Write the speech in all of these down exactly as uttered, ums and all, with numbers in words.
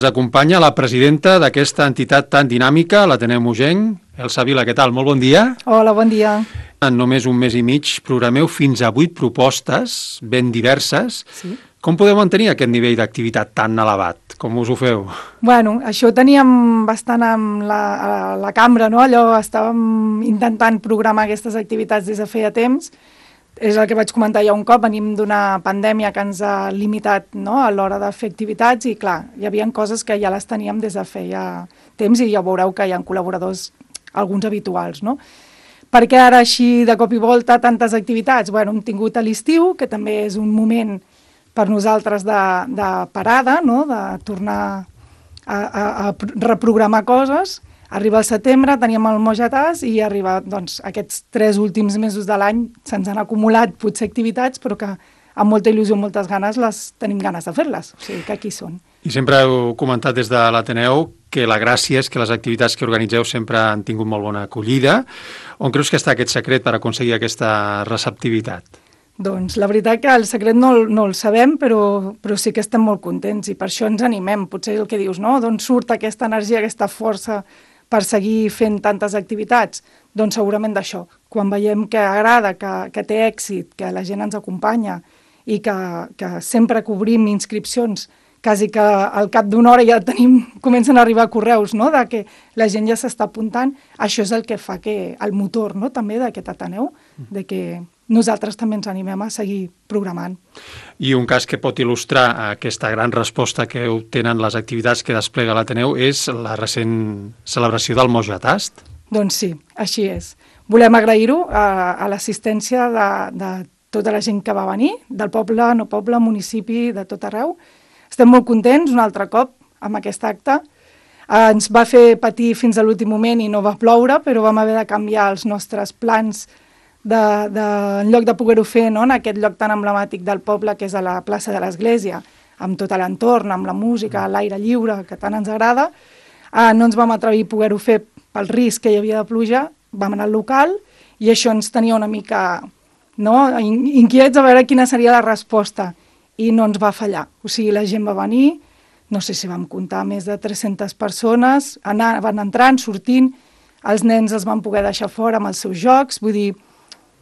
Ens acompanya la presidenta d'aquesta entitat tan dinàmica, l'Ateneu Mogenc, Elsa Vila. Què tal? Molt bon dia. Hola, bon dia. En només un mes i mig programeu fins a vuit propostes ben diverses. Sí. Com podeu mantenir aquest nivell d'activitat tan elevat? Com us ho feu? Bueno, això ho teníem bastant amb la, a la cambra, no? Allò estàvem intentant programar aquestes activitats des de feia temps. És el que vaig comentar ja un cop, venim d'una pandèmia que ens ha limitat, no?, a l'hora de fer activitats i, clar, hi havia coses que ja les teníem des de feia temps i ja veureu que hi ha col·laboradors, alguns habituals, no? Per què ara així de cop i volta tantes activitats? Bueno, hem tingut a l'estiu, que també és un moment per nosaltres de, de parada, no?, de tornar a, a, a reprogramar coses. Arriba el setembre, teníem el Mojatàs i arriba, doncs, aquests tres últims mesos de l'any se'ns han acumulat potser activitats, però que amb molta il·lusió, moltes ganes, les tenim ganes de fer-les. O sigui, que aquí són. I sempre heu comentat des de l'Ateneu que la gràcia és que les activitats que organitzeu sempre han tingut molt bona acollida. On creus que està aquest secret per aconseguir aquesta receptivitat? Doncs la veritat que el secret no, no el sabem, però, però sí que estem molt contents i per això ens animem. Potser el que dius, no? D'on surt aquesta energia, aquesta força per seguir fent tantes activitats? Doncs segurament d'això. Quan veiem que agrada, que, que té èxit, que la gent ens acompanya i que, que sempre cobrim inscripcions, quasi que al cap d'una hora ja tenim, comencen a arribar correus, no?, de que la gent ja s'està apuntant, això és el que fa que el motor, no?, també d'aquest Ateneu, de que nosaltres també ens animem a seguir programant. I un cas que pot il·lustrar aquesta gran resposta que obtenen les activitats que desplega l'Ateneu és la recent celebració del Mojatàs. Doncs sí, així és. Volem agrair-ho a, a l'assistència de, de tota la gent que va venir, del poble, no poble, municipi, de tot arreu. Estem molt contents un altre cop amb aquest acte. Eh, ens va fer patir fins a l'últim moment i no va ploure, però vam haver de canviar els nostres plans de, de, en lloc de poder-ho fer, no?, en aquest lloc tan emblemàtic del poble que és a la plaça de l'Església, amb tot l'entorn, amb la música, l'aire lliure, que tant ens agrada. Eh, no ens vam atrevir a poder-ho fer pel risc que hi havia de pluja, vam anar al local i això ens tenia una mica, no?, inquiets a veure quina seria la resposta i no ens va fallar. O sigui, la gent va venir, no sé si vam comptar més de tres-centes persones, anar, van entrant, sortint, els nens els van poder deixar fora amb els seus jocs, vull dir,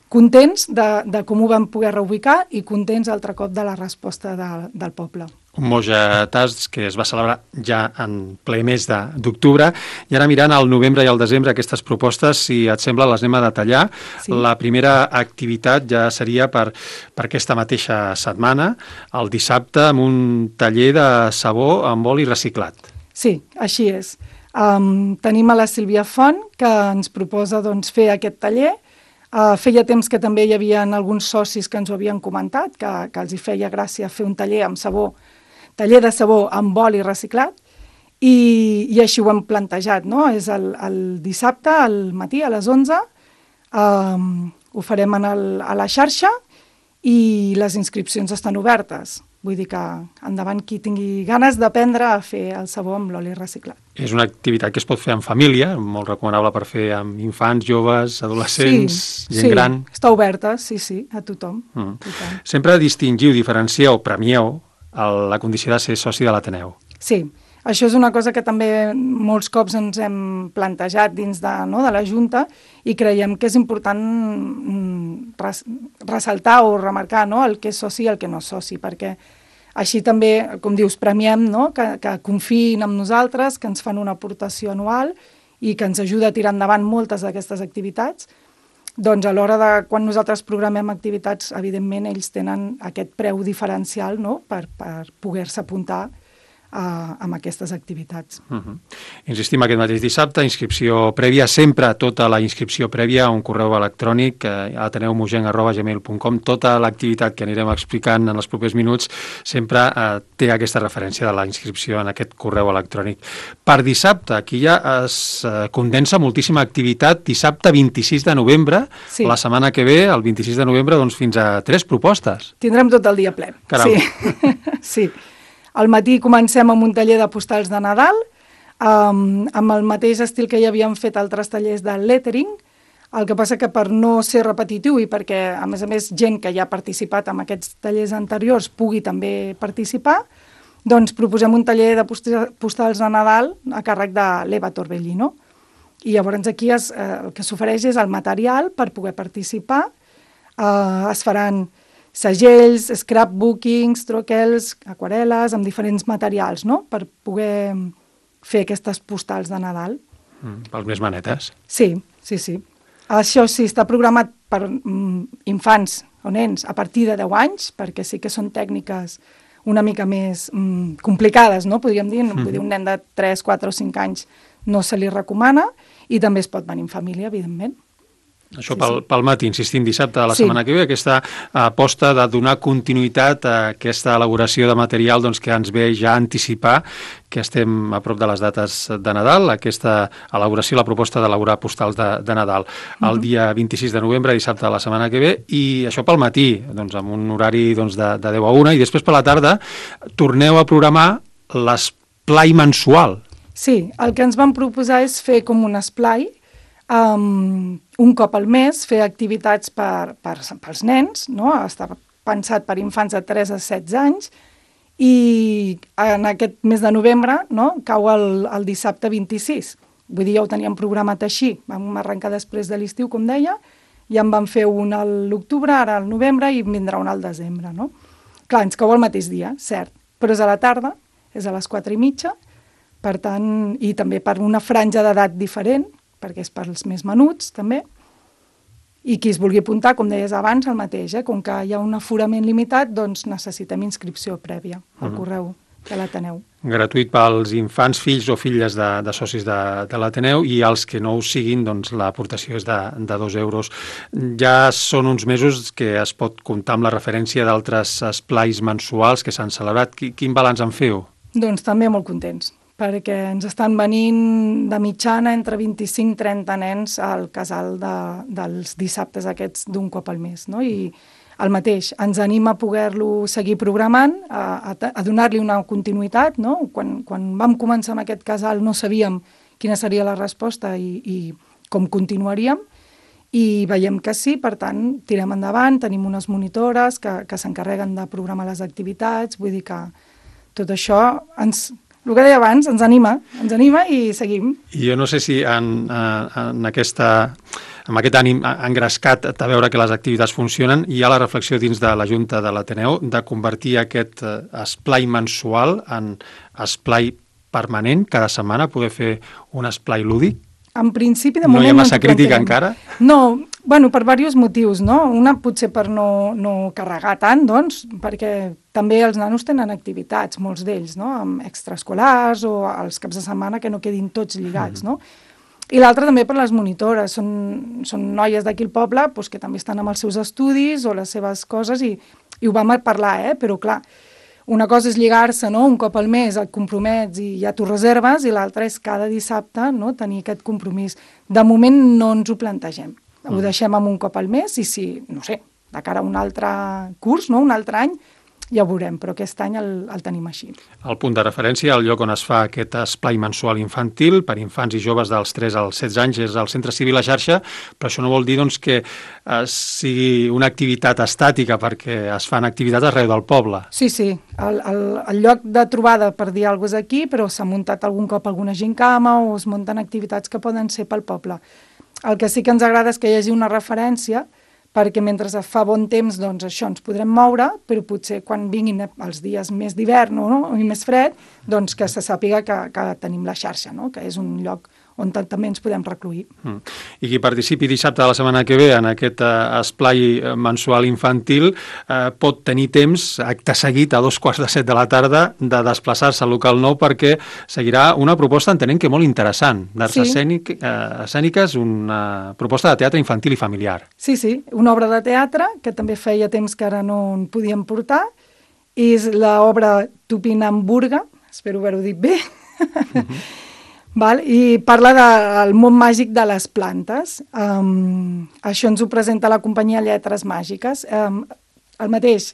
contents de, de com ho vam poder reubicar i contents altre cop de la resposta de, del poble. Un Mojatàs que es va celebrar ja en ple mes d'octubre, i ara mirant al novembre i al desembre aquestes propostes, si et sembla, les anem a detallar. Sí. La primera activitat ja seria per, per aquesta mateixa setmana, el dissabte, amb un taller de sabó amb oli reciclat. Sí, així és. Um, tenim a la Sílvia Font, que ens proposa, doncs, fer aquest taller. Uh, feia temps que també hi havia alguns socis que ens ho havien comentat, que, que els hi feia gràcia fer un taller amb sabó, taller de sabó amb oli reciclat, i, i així ho hem plantejat, no? És el, el dissabte, al matí, a les onze, um, ho farem en el, a la xarxa i les inscripcions estan obertes. Vull dir que endavant qui tingui ganes d'aprendre a fer el sabó amb l'oli reciclat. És una activitat que es pot fer en família, molt recomanable per fer amb infants, joves, adolescents, sí, gent sí, gran. Sí, està oberta, sí, sí, a tothom. Mm. tothom. Sempre distingiu, diferencieu, premieu la condició de ser soci de l'Ateneu. Sí, això és una cosa que també molts cops ens hem plantejat dins de, no, de la Junta i creiem que és important res, ressaltar o remarcar, no, el que és soci i el que no és soci, perquè així també, com dius, premiem, no, que, que confiïn en nosaltres, que ens fan una aportació anual i que ens ajuda a tirar endavant moltes d'aquestes activitats. Doncs a l'hora de, quan nosaltres programem activitats, evidentment ells tenen aquest preu diferencial, no?, per, per poder-se apuntar Uh, amb aquestes activitats. Uh-huh. Insistim aquest mateix dissabte, inscripció prèvia, sempre tota la inscripció prèvia a un correu electrònic eh, a ateneu mogenc arroba gmail punt com. Tota l'activitat que anirem explicant en els propers minuts sempre eh, té aquesta referència de la inscripció en aquest correu electrònic. Per dissabte, aquí ja es eh, condensa moltíssima activitat. Dissabte vint-i-sis de novembre, sí. La setmana que ve, el vint-i-sis de novembre, doncs fins a tres propostes. Tindrem tot el dia ple. Caram. Sí. sí. Al matí comencem amb un taller de postals de Nadal, um, amb el mateix estil que ja havíem fet altres tallers de lettering, el que passa que per no ser repetitiu i perquè, a més a més, gent que ja ha participat en aquests tallers anteriors pugui també participar, doncs proposem un taller de postals de Nadal a càrrec de l'Eva Torbellino. I llavors aquí es, eh, el que s'ofereix és el material per poder participar. Eh, es faran segells, scrapbookings, troquels, aquarel·les, amb diferents materials, no?, per poder fer aquestes postals de Nadal. Mm, pels més manetes. Sí, sí, sí. Això sí, està programat per mm, infants o nens a partir de deu anys, perquè sí que són tècniques una mica més mm, complicades, no?, podríem dir. Mm. Vull dir, un nen de tres, quatre o cinc anys no se li recomana, i també es pot venir en família, evidentment. Això Sí, pel, sí. pel matí, insistim, dissabte de la Sí. setmana que ve, aquesta aposta de donar continuïtat a aquesta elaboració de material doncs, que ens ve ja a anticipar que estem a prop de les dates de Nadal, aquesta elaboració, la proposta d'elaborar postals de, de Nadal el Mhm. dia vint-i-sis de novembre, dissabte de la setmana que ve, i això pel matí, doncs, amb un horari doncs, de, de deu a una, i després per la tarda torneu a programar l'esplai mensual. Sí, el que ens vam proposar és fer com un esplai, um, un cop al mes, fer activitats per, per, pels nens, no? Està pensat per infants de tres a setze anys, i en aquest mes de novembre, no?, cau el, el dissabte vint-i-sis. Vull dir, ja ho teníem programat així. Vam arrencar després de l'estiu, com deia, ja en vam fer un a l'octubre, ara al novembre, i en vindrà un al desembre, no? Clar, ens cau el mateix dia, cert, però és a la tarda, és a les quatre i mitja, per tant, i també per una franja d'edat diferent, perquè és pels més menuts, també, i qui es vulgui apuntar, com deies abans, el mateix, eh? Com que hi ha un aforament limitat, doncs necessitem inscripció prèvia al correu de l'Ateneu. Gratuït pels infants, fills o filles de, de socis de, de l'Ateneu, i els que no ho siguin, doncs l'aportació és de, de dos euros. Ja són uns mesos que es pot comptar amb la referència d'altres esplais mensuals que s'han celebrat. Quin balanç en feu? Doncs també molt contents, perquè ens estan venint de mitjana entre vint-i-cinc i trenta nens al casal de, dels dissabtes aquests d'un cop al mes, no? I el mateix, ens anima a poder-lo seguir programant, a, a, a donar-li una continuïtat, no? Quan, quan vam començar amb aquest casal no sabíem quina seria la resposta i, i com continuaríem, i veiem que sí, per tant, tirem endavant, tenim unes monitores que, que s'encarreguen de programar les activitats, vull dir que tot això ens... El que deia abans, ens anima, ens anima i seguim. I jo no sé si en, en aquesta, amb aquest ànim engrescat de veure que les activitats funcionen, hi ha la reflexió dins de la Junta de l'Ateneu de convertir aquest esplai mensual en esplai permanent, cada setmana poder fer un esplai lúdic? En principi, de no moment... hi ha no massa ens ho crítica plantegem. encara? No, bueno, per diversos motius, no? Una potser per no, no carregar tant, doncs, perquè també els nanos tenen activitats, molts d'ells, no?, amb extraescolars o els caps de setmana que no quedin tots lligats, no? I l'altra també per les monitores, són, són noies d'aquí al poble doncs, que també estan amb els seus estudis o les seves coses, i, i ho vam parlar, eh? Però clar, una cosa és lligar-se, no?, un cop al mes, et compromets i ja t'ho reserves, i l'altra és cada dissabte, no?, tenir aquest compromís. De moment no ens ho plantegem. Ho Mm. deixem amb un cop al mes, i si, no sé, de cara a un altre curs, no?, un altre any, ja ho veurem, però aquest any el, el tenim així. El punt de referència, el lloc on es fa aquest esplai mensual infantil per infants i joves dels tres als setze anys és el Centre Civil La Xarxa, però això no vol dir doncs, que eh, sigui una activitat estàtica, perquè es fan activitats arreu del poble. Sí, sí, el, el, el lloc de trobada, per dir alguna cosa, és aquí, però s'ha muntat algun cop alguna gincama o es munten activitats que poden ser pel poble. El que sí que ens agrada és que hi hagi una referència, perquè mentre fa bon temps, doncs això, ens podrem moure, però potser quan vinguin els dies més d'hivern, no?, i més fred, doncs que se sàpiga que, que tenim la xarxa, no?, que és un lloc on també ens podem recluir. Mm. I qui participi dissabte de la setmana que ve en aquest eh, esplai mensual infantil eh, pot tenir temps, acte seguit, a dos quarts de set de la tarda, de desplaçar-se al local nou, perquè seguirà una proposta, entenent que molt interessant, d'arts Sí. escènic, eh, escèniques, una proposta de teatre infantil i familiar. Sí, sí, una obra de teatre, que també feia temps que ara no en podíem portar, és l'obra Tupinamburga, espero haver-ho dit bé, mm-hmm. Val? I parla del món màgic de les plantes. Um, això ens ho presenta la companyia Lletres Màgiques. Um, el mateix,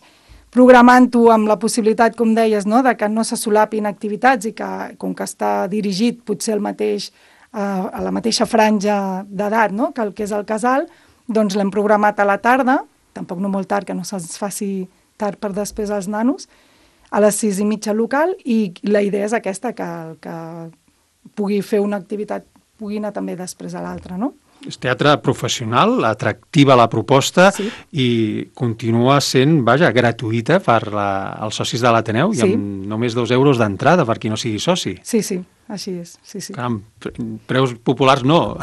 programant-ho amb la possibilitat, com deies, no?, de que no se solapin activitats i que, com que està dirigit potser el mateix, uh, a la mateixa franja d'edat, no?, que el que és el casal, doncs l'hem programat a la tarda, tampoc no molt tard, que no se'ns faci tard per després als nanos, a les sis i mitja local, i la idea és aquesta, que, que pugui fer una activitat, pugui anar també després a l'altra, no? És teatre professional, atractiva la proposta, sí. I continua sent, vaja, gratuïta per la, els socis de l'Ateneu, sí. I amb només dos euros d'entrada per qui no sigui soci. Sí, sí, així és. Sí, sí. Caram, preus populars no.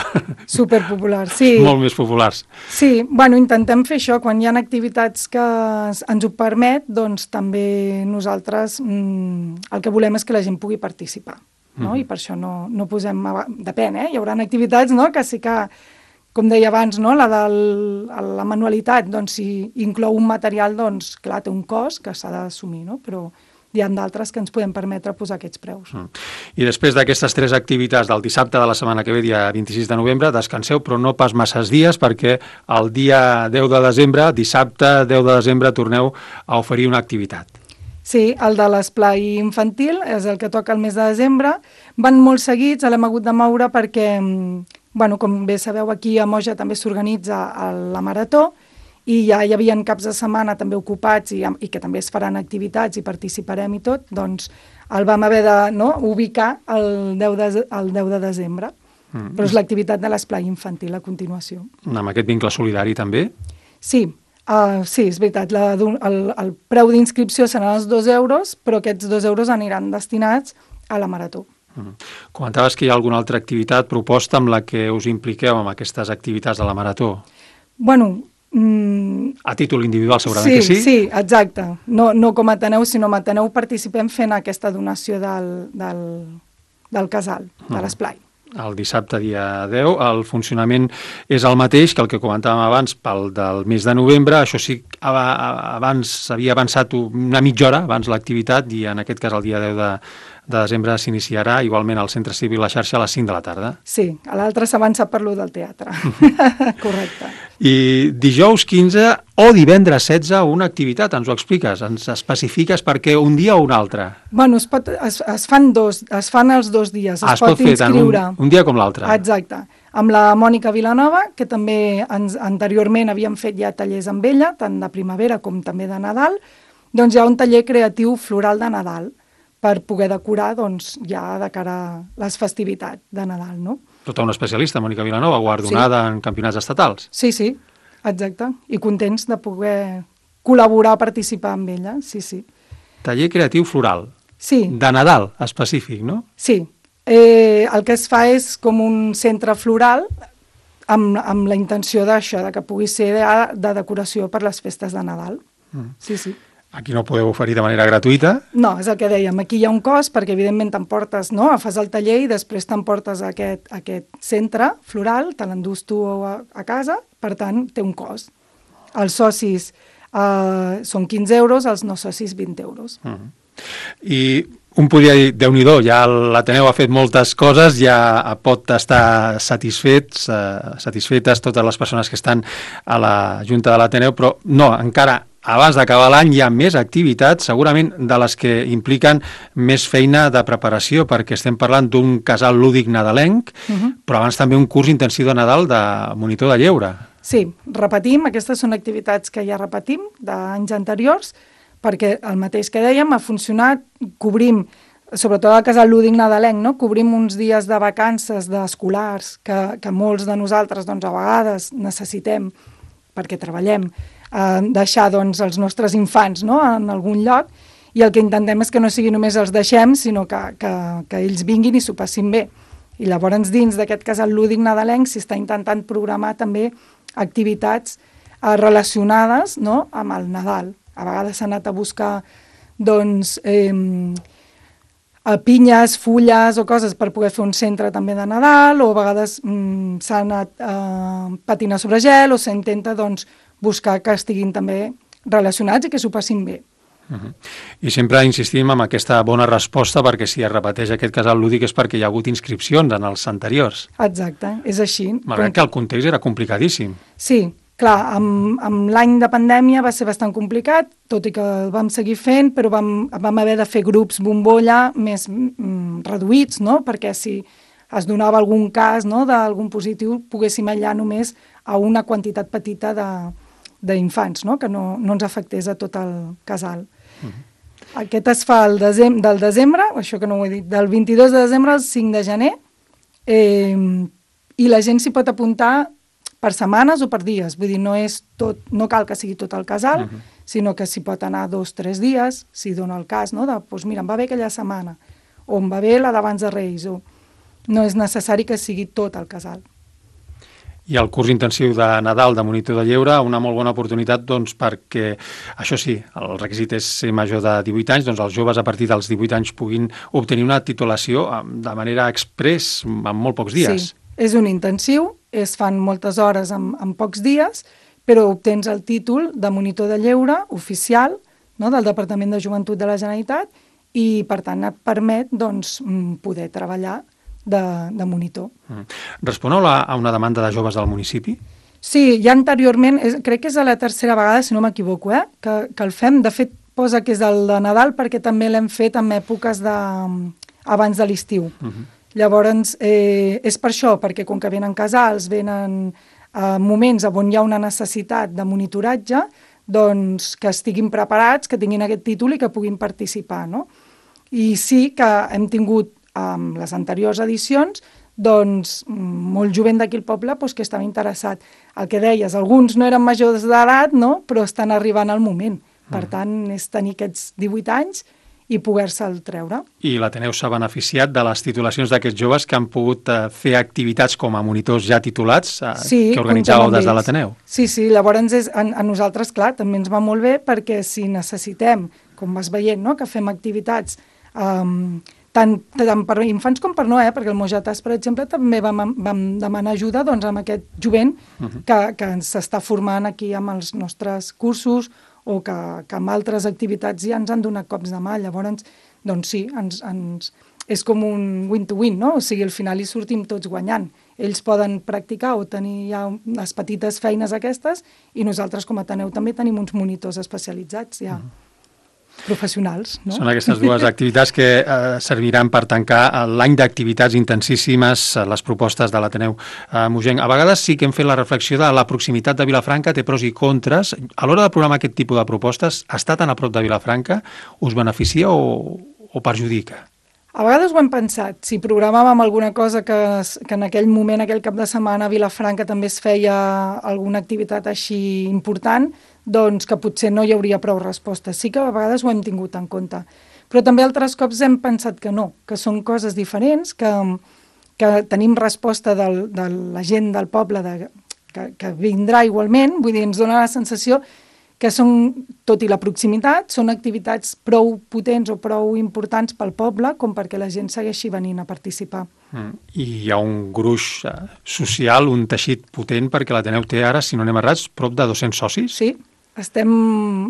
Superpopulars, sí. Molt més populars. Sí, bueno, intentem fer això. Quan hi ha activitats que ens ho permet, doncs també nosaltres mm, el que volem és que la gent pugui participar. No? Mm. I per això no, no posem... Depèn, eh? Hi haurà activitats, no?, que sí que, com deia abans, no?, la de la manualitat, doncs si inclou un material, doncs clar, té un cost que s'ha d'assumir, no? Però hi ha d'altres que ens podem permetre posar aquests preus. Mm. I després d'aquestes tres activitats del dissabte de la setmana que ve, dia vint-i-sis de novembre, descanseu, però no pas masses dies, perquè el dia deu de desembre, dissabte deu de desembre, torneu a oferir una activitat. Sí, el de l'esplai infantil és el que toca el mes de desembre. Van molt seguits, l'hem hagut de moure perquè, bueno, com bé sabeu, aquí a Moja també s'organitza la marató i ja hi havia caps de setmana també ocupats i, i que també es faran activitats i participarem i tot, doncs el vam haver de no, ubicar el deu de, el deu de desembre. Mm. Però és l'activitat de l'esplai infantil a continuació. Amb aquest vincle solidari també? Sí. Uh, sí, és veritat, la, el, el preu d'inscripció seran els dos euros, però aquests dos euros aniran destinats a la marató. Mm. Comentaves que hi ha alguna altra activitat proposta amb la que us impliqueu amb aquestes activitats de la marató? Bueno... Mm, a títol individual segurament sí, que sí? Sí, exacte. No, no com a Ateneu, sinó com a Ateneu participem fent aquesta donació del, del, del casal, de mm. l'esplai. El dissabte, dia deu, el funcionament és el mateix que el que comentàvem abans pel del mes de novembre. Això sí, abans s'havia avançat una mitja hora abans l'activitat i en aquest cas el dia deu de, de desembre s'iniciarà igualment al Centre Cívic La Xarxa a les cinc de la tarda. Sí, a l'altre s'avança per lo del teatre. Correcte. I dijous quinze o divendres setze una activitat, ens ho expliques, ens especifiques perquè un dia o un altre? Bueno, es, pot, es, es fan dos, es fan els dos dies, es, ah, es pot, pot fer tant un, un dia com l'altre. Exacte. Amb la Mònica Vilanova, que també ens, anteriorment havíem fet ja tallers amb ella, tant de primavera com també de Nadal, doncs hi ha un taller creatiu floral de Nadal, per poder decorar doncs, ja de cara a les festivitats de Nadal, no? Tota una especialista, Mònica Vilanova, guardonada sí. en campionats estatals. Sí, sí, exacte. I contents de poder col·laborar, participar amb ella, sí, sí. Taller creatiu floral. Sí. De Nadal, específic, no? Sí. Eh, el que es fa és com un centre floral amb, amb la intenció d'això, de que pugui ser de, de decoració per les festes de Nadal. Mm. Sí, sí. Aquí no podeu oferir de manera gratuïta? No, és el que dèiem. Aquí hi ha un cost perquè, evidentment, t'emportes, no?, fas el taller i després t'emportes a aquest, a aquest centre floral, te l'endús tu a, a casa, per tant, té un cost. Els socis eh, són quinze euros, els no socis vint euros. Uh -huh. I un podria dir, Déu-n'hi-do, ja l'Ateneu ha fet moltes coses, ja pot estar satisfets, eh, satisfetes totes les persones que estan a la Junta de l'Ateneu, però no, encara abans d'acabar l'any hi ha més activitats, segurament de les que impliquen més feina de preparació, perquè estem parlant d'un casal lúdic nadalenc, uh -huh. però abans també un curs intensiu de Nadal de monitor de lleure. Sí, repetim, aquestes són activitats que ja repetim d'anys anteriors, perquè el mateix que dèiem ha funcionat, cobrim, sobretot al casal lúdic nadalenc, no? Cobrim uns dies de vacances d'escolars que, que molts de nosaltres doncs, a vegades necessitem perquè treballem, eh, deixar doncs, els nostres infants, no?, en algun lloc, i el que intentem és que no sigui només els deixem, sinó que, que, que ells vinguin i s'ho passin bé. I llavors dins d'aquest casal lúdic nadalenc s'està intentant programar també activitats eh, relacionades, no?, amb el Nadal. A vegades s'ha anat a buscar doncs, eh, pinyes, fulles o coses per poder fer un centre també de Nadal, o a vegades mm, s'ha anat a eh, patinar sobre gel, o s'intenta doncs, buscar que estiguin també relacionats i que s'ho passin bé. Uh -huh. I sempre insistim en aquesta bona resposta, perquè si es repeteix aquest casal lúdic és perquè hi ha hagut inscripcions en els anteriors. Exacte, és així. Malgrat Com... que el context era complicadíssim. Sí, clar, amb, amb l'any de pandèmia va ser bastant complicat, tot i que el vam seguir fent, però vam, vam haver de fer grups bombolla més mm, reduïts, no?, perquè si es donava algun cas, no?, d'algun positiu, poguéssim aïllar només a una quantitat petita de d'infants, no?, que no, no ens afectés a tot el casal. Uh-huh. Aquest es fa el desem del desembre, això que no ho he dit, del vint-i-dos de desembre al cinc de gener, eh, i la gent s'hi pot apuntar per setmanes o per dies, vull dir, no és tot, no cal que sigui tot el casal, uh-huh. sinó que s'hi pot anar dos, tres dies, si dona el cas, no? De, doncs mira, em va bé aquella setmana, o em va bé la d'abans de Reis, o no és necessari que sigui tot el casal. I el curs intensiu de Nadal de monitor de lleure, una molt bona oportunitat doncs, perquè, això sí, el requisit és ser major de divuit anys, doncs els joves a partir dels divuit anys puguin obtenir una titulació de manera express en molt pocs dies. Sí, és un intensiu, es fan moltes hores en, en pocs dies, però obtens el títol de monitor de lleure oficial, no, del Departament de Joventut de la Generalitat i, per tant, et permet doncs, poder treballar De, de monitor. Mm. Responeu a una demanda de joves del municipi? Sí, ja anteriorment, és, crec que és a la tercera vegada, si no m'equivoco, eh, que, que el fem. De fet, posa que és el de Nadal perquè també l'hem fet en èpoques de, abans de l'estiu. Uh-huh. Llavors, eh, és per això, perquè com que venen casals, venen eh, moments on hi ha una necessitat de monitoratge, doncs que estiguin preparats, que tinguin aquest títol i que puguin participar, no? I sí que hem tingut amb les anteriors edicions, doncs molt jovent d'aquí al poble doncs, que estava interessat. El que deies, alguns no eren majors d'edat, no? Però estan arribant al moment. Per tant, és tenir aquests divuit anys i poder-se'l treure. I l'Ateneu s'ha beneficiat de les titulacions d'aquests joves que han pogut eh, fer activitats com a monitors ja titulats eh, sí, que organitzàveu des de l'Ateneu. Sí, sí, llavors és, a, a nosaltres, clar, també ens va molt bé perquè si necessitem, com vas veient, no? Que fem activitats um, tant, tant per infants com per no, eh? Perquè el Mojatàs, per exemple, també vam, vam demanar ajuda doncs, amb aquest jovent uh-huh. que, que s'està formant aquí amb els nostres cursos o que, que amb altres activitats ja ens han donat cops de mà. Llavors, doncs sí, ens, ens, és com un win-to-win, no? O sigui, al final hi sortim tots guanyant. Ells poden practicar o tenir ja les petites feines aquestes i nosaltres com a Ateneu també tenim uns monitors especialitzats ja. Uh-huh. Professionals, no? Són aquestes dues activitats que eh, serviran per tancar l'any d'activitats intensíssimes, les propostes de l'Ateneu eh, Mogenc. A vegades sí que hem fet la reflexió de la proximitat de Vilafranca, té pros i contres. A l'hora de programar aquest tipus de propostes, estar tan a prop de Vilafranca us beneficia o, o perjudica? A vegades ho hem pensat. Si programàvem alguna cosa que, que en aquell moment, aquell cap de setmana, a Vilafranca també es feia alguna activitat així important, doncs que potser no hi hauria prou respostes. Sí que a vegades ho hem tingut en compte. Però també altres cops hem pensat que no, que són coses diferents, que, que tenim resposta del, de la gent del poble de, que, que vindrà igualment, vull dir, ens dona la sensació que són, tot i la proximitat, són activitats prou potents o prou importants pel poble com perquè la gent segueixi venint a participar. Mm. I hi ha un gruix eh, social, un teixit potent, perquè l'Ateneu té ara, si no anem errats, prop de dos-cents socis? Sí, estem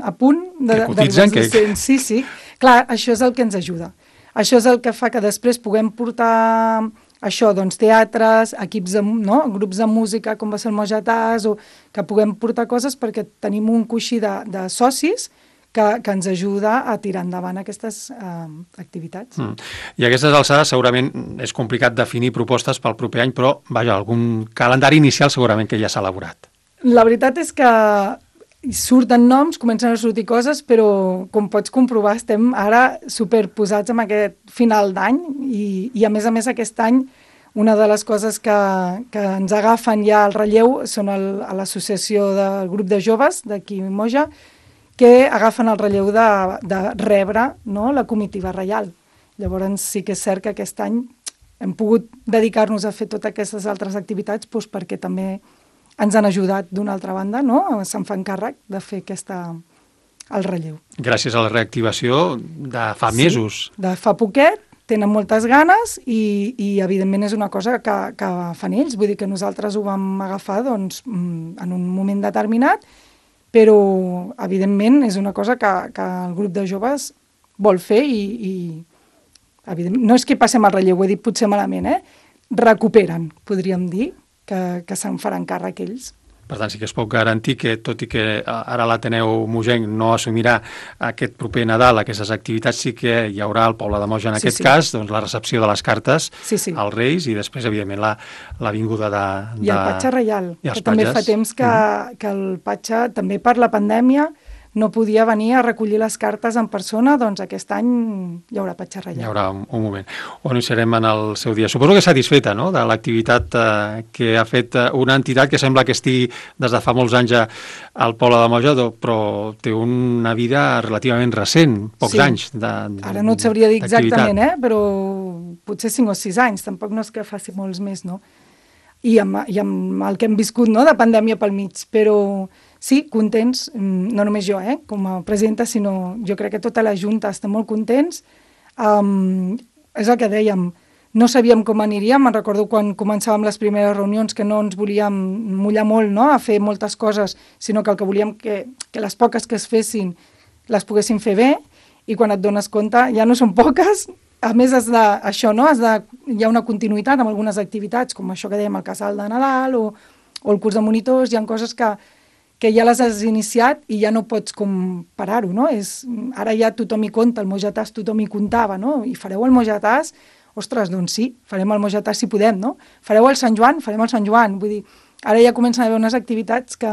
a punt de... Que cotitzen, de que... Sí, sí. Clar, això és el que ens ajuda. Això és el que fa que després puguem portar... Això, doncs, teatres, equips de, no? grups de música, com va ser el Mojatàs, o que puguem portar coses perquè tenim un coixí de, de socis que, que ens ajuda a tirar endavant aquestes eh, activitats. Mm. I a aquestes alçades segurament és complicat definir propostes pel proper any, però, vaja, algun calendari inicial segurament que ja s'ha elaborat. La veritat és que surten noms, comencen a sortir coses, però com pots comprovar estem ara superposats amb aquest final d'any i, i a més a més aquest any una de les coses que, que ens agafen ja al relleu són el, a l'associació del grup de joves d'aquí Moja, que agafen el relleu de, de rebre, no, la comitiva reial. Llavors sí que és cert que aquest any hem pogut dedicar-nos a fer totes aquestes altres activitats doncs, perquè també ens han ajudat d'una altra banda, no? Se'n fan càrrec de fer aquesta, el relleu. Gràcies a la reactivació de fa sí, mesos. De fa poquet, tenen moltes ganes i, i evidentment és una cosa que, que fan ells. Vull dir que nosaltres ho vam agafar doncs, en un moment determinat, però evidentment és una cosa que, que el grup de joves vol fer i, i evidentment, no és que passem al relleu, ho he dit potser malament, eh? Recuperen, podríem dir, que, que se'n faran càrrec ells. Per tant, sí que es pot garantir que, tot i que ara l'Ateneu Mogenc no assumirà aquest proper Nadal, aquestes activitats, sí que hi haurà al poble de Moja, en sí, aquest sí. cas, doncs, la recepció de les cartes sí, sí. als Reis i després, evidentment, la, la vinguda de, de... I el Patge Reial, que patges. També fa temps que, mm. que el Patge, també per la pandèmia, no podia venir a recollir les cartes en persona, doncs aquest any hi haurà petxarrellat. Hi haurà un, un moment on hi serem en el seu dia. Suposo que satisfeta, no?, de l'activitat eh, que ha fet una entitat que sembla que estigui des de fa molts anys al poble de Moja, però té una vida relativament recent, pocs sí. anys de, de Ara no et sabria dir exactament, eh? Però potser cinc o sis anys, tampoc no és que faci molts més, no? I amb, i amb el que hem viscut, no?, de pandèmia pel mig, però sí, contents, no només jo, eh, com a presidenta, sinó jo crec que tota la Junta està molt contents. Um, és el que dèiem, no sabíem com aniríem, me'n recordo quan començàvem les primeres reunions que no ens volíem mullar molt, no?, a fer moltes coses, sinó que el que volíem que, que les poques que es fessin les poguessin fer bé, i quan et dones compte ja no són poques. A més, has de, això, no? has de, hi ha una continuïtat amb algunes activitats, com això que dèiem, el casal de Nadal o, o el curs de monitors, hi ha coses que, que ja les has iniciat i ja no pots com parar-ho, no? És, ara ja tothom hi compta, el Mojatàs tothom hi comptava, no? I fareu el Mojatàs? Ostres, doncs sí, farem el Mojatàs si podem, no? Fareu el Sant Joan? Farem el Sant Joan. Vull dir, ara ja comencen a haver unes activitats que,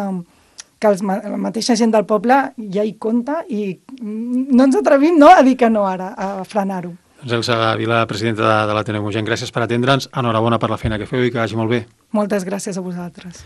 que els, la mateixa gent del poble ja hi compta i no ens atrevim, no?, a dir que no ara, a frenar-ho. Doncs Elsa Vila, presidenta de, de l'Ateneu Moianès, gràcies per atendre'ns. Enhorabona per la feina que feu i que vagi molt bé. Moltes gràcies a vosaltres.